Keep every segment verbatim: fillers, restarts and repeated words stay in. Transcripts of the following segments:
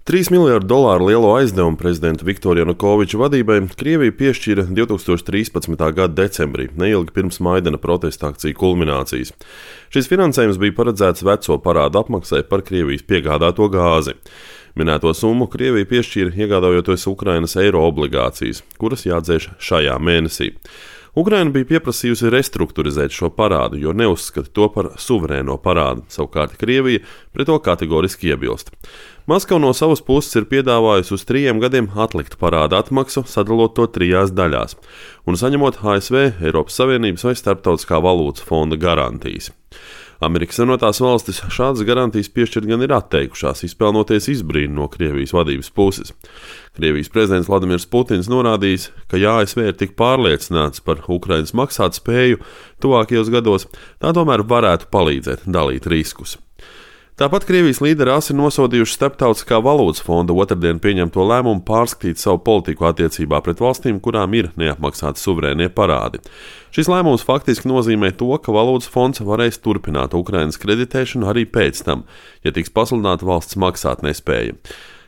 trīs miljardu dolāru lielo aizdevumu prezidenta Viktora Janukoviča vadībai Krievija piešķīra divtūkstoš trīspadsmitā gada decembrī, neilgi pirms Maidana protesta akciju kulminācijas. Šis finansējums bija paredzēts veco parādu apmaksai par Krievijas piegādāto gāzi. Minēto summu Krievija piešķīra iegādājoties Ukrainas eiro obligācijas, kuras jādzēš šajā mēnesī. Ukraina bija pieprasījusi restruktūrizēt šo parādu, jo neuzskata to par suverēno parādu, savukārt Krievija pret to kategoriski iebilst. Maskava no savas puses ir piedāvājusi uz trījiem gadiem atlikt parāda atmaksu, sadalot to trijās daļās, un saņemot A S V, Eiropas Savienības vai Starptautiskā valūtas fonda garantijas. Amerikas Savienotās valstis šādas garantijas piešķirt gan ir atteikušās, izpelnoties izbrīnu no Krievijas vadības puses. Krievijas prezidents Vladimirs Putins norādījis, ka ja A S V ir tik pārliecināts par Ukrainas maksāt spēju tuvākajos gados, tā tomēr varētu palīdzēt dalīt riskus. Tāpat Krievijas līderi asi nosodījuši Starptautiskā valūtas fonda otrdien pieņemto lēmumu pārskatīt savu politiku attiecībā pret valstīm, kurām ir neapmaksāti suverēnie parādi. Šis lēmums faktiski nozīmē to, ka valūtas fonds varēs turpināt Ukrainas kreditēšanu arī pēc tam, ja tiks pasludināta valsts maksāt nespēja.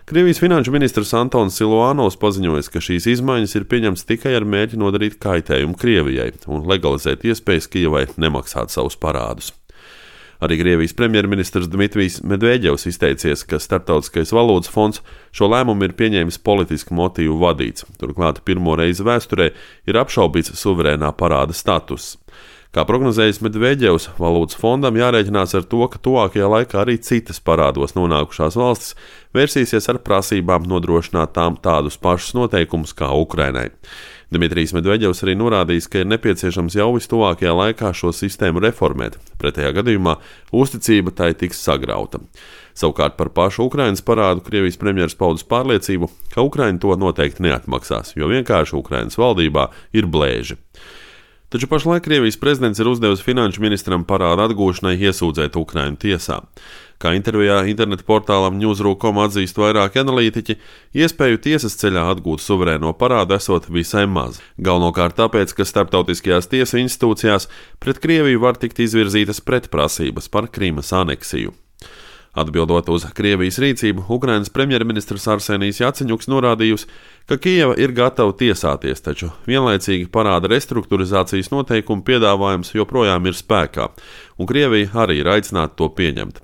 Krievijas finanšu ministrs Antons Siluanovs paziņoja, ka šīs izmaiņas ir pieņemtas tikai ar mērķi nodarīt kaitējumu Krievijai un legalizēt iespējas Kijevai nemaksāt savus parādus. Arī Krievijas premjerministrs Dmitrijs Medvedevs izteicies, ka Starptautiskais valūtas fonds šo lēmumu ir pieņēmis politisku motīvu vadīts. Turklāt pirmo reizi vēsturē ir apšaubīts suverēnā parāda status. Kā prognozējis Medvedevs, valūtas fondam jārēķinās ar to, ka tuvākajā laikā arī citas parādos nonākušās valstis vērsīsies ar prasībām nodrošināt tām tādus pašus noteikumus kā Ukrainai. Dmitrijs Medvedevs arī norādījis, ka ir nepieciešams jau vistuvākajā laikā šo sistēmu reformēt, pretējā gadījumā uzticība tai tiks sagrauta. Savukārt par pašu Ukrainas parādu Krievijas premjeras paudis pārliecību, ka Ukraina to noteikti neatmaksās, jo vienkārši Ukrainas valdībā ir blēži. Taču pašlaik Krievijas prezidents ir uzdevis finanšu ministram parādu atgūšanai iesūdzēt Ukrainu tiesā. Kā intervijā interneta portālam Newsroom dot com atzīst vairāki analītiķi, iespēju tiesas ceļā atgūt suverēno parādu esot visai maz. Galvenokārt tāpēc, ka starptautiskajās tiesu institūcijās pret Krieviju var tikt izvirzītas pretprasības par Krīmas aneksiju. Atbildot uz Krievijas rīcību, Ukrainas premjerministrs Arsenijs Jaceņuks norādījusi, ka Kijeva ir gatava tiesāties, taču vienlaicīgi parāda restruktūrizācijas noteikumu piedāvājums joprojām ir spēkā, un Krievija arī ir aicināta to pieņemt.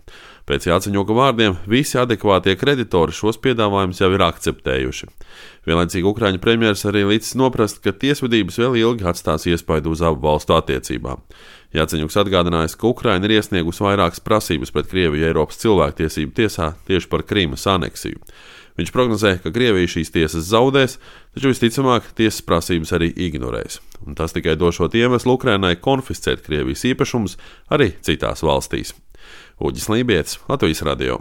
Pēc Jaceņuka vārdiem visi adekvātie kreditori šos piedāvājumus jau ir akceptējuši. Vienlaicīgi Ukraiņu premjeras arī līdz noprast, ka tiesvedības vēl ilgi atstās iespaidu uz abu valstu attiecībām. Jaceņuks atgādinājis, ka Ukraina ir iesniegusi vairākas prasības pret Krieviju Eiropas cilvēktiesību tiesā tieši par Krīmas aneksiju. Viņš prognozē, ka Krievija šīs tiesas zaudēs, taču visticamāk tiesas prasības arī ignorēs. Un tas tikai došot iemeslu Ukrainai konfiscēt Krievijas īpašumus arī citās valstīs. Uģis Lībietis, Latvijas radio.